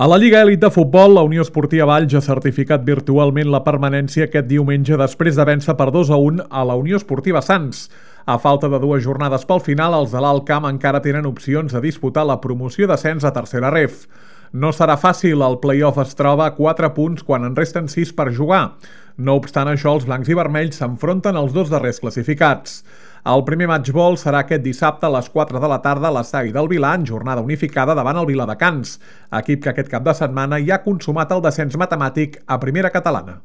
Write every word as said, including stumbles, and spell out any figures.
A la Lliga Elit de Futbol, la Unió Esportiva Valls ha certificat virtualment la permanència aquest diumenge després de vèncer per dos a un a la Unió Esportiva Sants. A falta de dues jornades pel final, els de l'Alt Camp encara tenen opcions de disputar la promoció d'ascens a tercera ref. No serà fàcil, el play-off es troba a quatre punts quan en resten sis per jugar. No obstant això, els blancs i vermells s'enfronten als dos darrers classificats. El primer matchball serà aquest dissabte a les quatre de la tarda a l'estadi del Vilà en jornada unificada davant el Viladecans, equip que aquest cap de setmana ja ha consumat el descens matemàtic a primera catalana.